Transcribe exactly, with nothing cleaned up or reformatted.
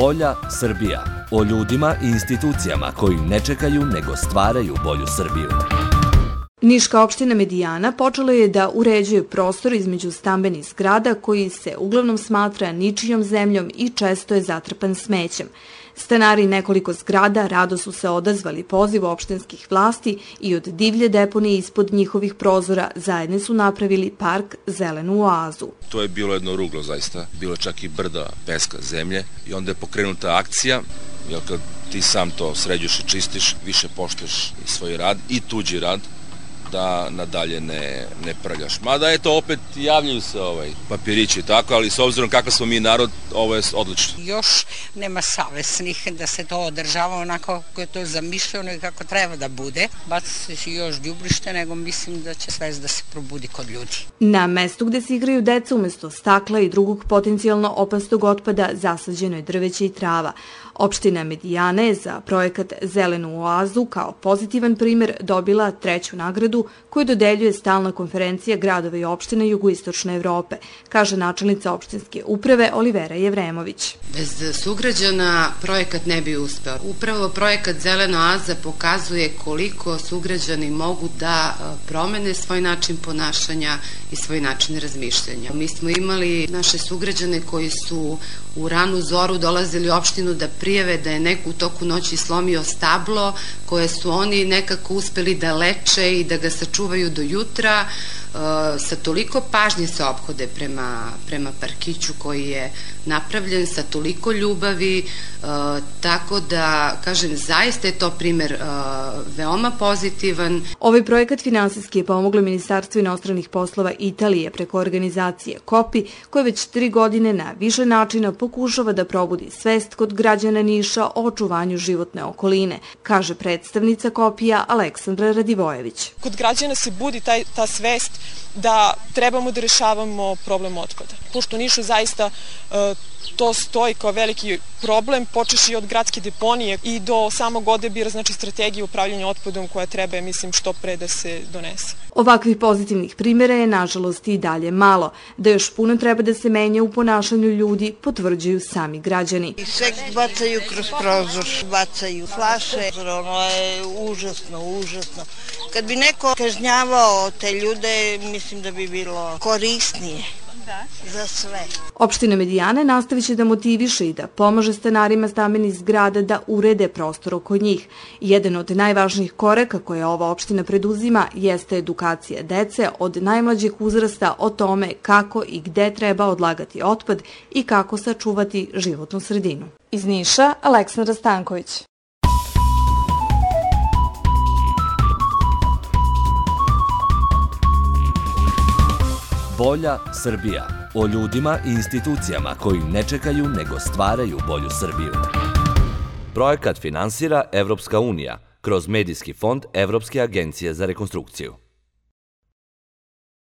Bolja Srbija. O ljudima i institucijama koji ne čekaju nego stvaraju bolju Srbiju. Niška opština Medijana počela je da uređuje prostor između stambenih zgrada koji se uglavnom smatra ničijom zemljom i često je zatrpan smećem. Stanari nekoliko zgrada rado su se odazvali pozivu opštinskih vlasti i od divlje deponije ispod njihovih prozora zajedno su napravili park Zelenu oazu. To je bilo jedno ruglo zaista, bilo čak i brda peska zemlje i onda je pokrenuta akcija, jer kad ti sam to sređuješ i čistiš, više poštuješ i svoj rad i tuđi rad, da nadalje ne, ne prljaš. Mada eto, opet javljaju se ovaj, papirići i tako, ali s obzirom kakav smo mi narod, ovo je odlično. Još nema savesnih da se to održava onako kako je to zamišljeno i kako treba da bude. Baci se još đubrište, nego mislim da će svest da se probudi kod ljudi. Na mestu gde se igraju deca umesto stakla i drugog potencijalno opasnog otpada zasađeno je drveće i trava. Opština Medijana je za projekat Zelenu oazu kao pozitivan primer dobila treću nagradu koju dodeljuje stalna konferencija gradova i opština Jugoistočne Evrope, kaže načelnica opštinske uprave Olivera Jevremović. Bez sugrađana projekat ne bi uspeo. Upravo projekat Zelena oaza pokazuje koliko sugrađani mogu da promene svoj način ponašanja i svoj način razmišljanja. Mi smo imali naše sugrađane koji su u ranu zoru dolazili u opštinu da prijave da je neko u toku noći slomio stablo koje su oni nekako uspeli da leče i da ga sačuvaju do jutra. Sa toliko pažnje se ophode prema, prema parkiću koji je napravljen, sa toliko ljubavi, tako da, kažem, zaista je to primer veoma pozitivan. Ovaj projekat finansijski je pomoglo Ministarstvo inostranih poslova Italije preko organizacije Kopi, koja već tri godine na više načina pokušava da probudi svest kod građana Niša o očuvanju životne okoline, kaže predstavnica Kopija Aleksandra Radivojević. Kod građana se budi taj, ta svest da trebamo da rešavamo problem otpada. Pošto u Nišu zaista e, to stoji kao veliki problem, počeši od gradske deponije i do samog odabira, znači strategije upravljanja otpadom koja treba, mislim, što pre da se donese. Ovakvih pozitivnih primjera je, nažalost, i dalje malo. Da još puno treba da se menja u ponašanju ljudi, potvrđuju sami građani. I sve bacaju kroz prozor, bacaju flaše, ono je užasno, užasno. Kad bi neko kažnjavao te ljude, mislim da bi bilo korisnije. Za sve. Opština Medijana nastavit će da motiviše i da pomaže stanarima stambenih zgrada da urede prostor oko njih. Jedan od najvažnijih koraka koje ova opština preduzima jeste edukacija dece od najmlađih uzrasta o tome kako i gde treba odlagati otpad i kako sačuvati životnu sredinu. Iz Niša, Aleksandra Stanković. Bolja Srbija. O ljudima i institucijama koji ne čekaju nego stvaraju bolju Srbiju. Projekat finansira Evropska unija kroz Medijski fond Evropske agencije za rekonstrukciju.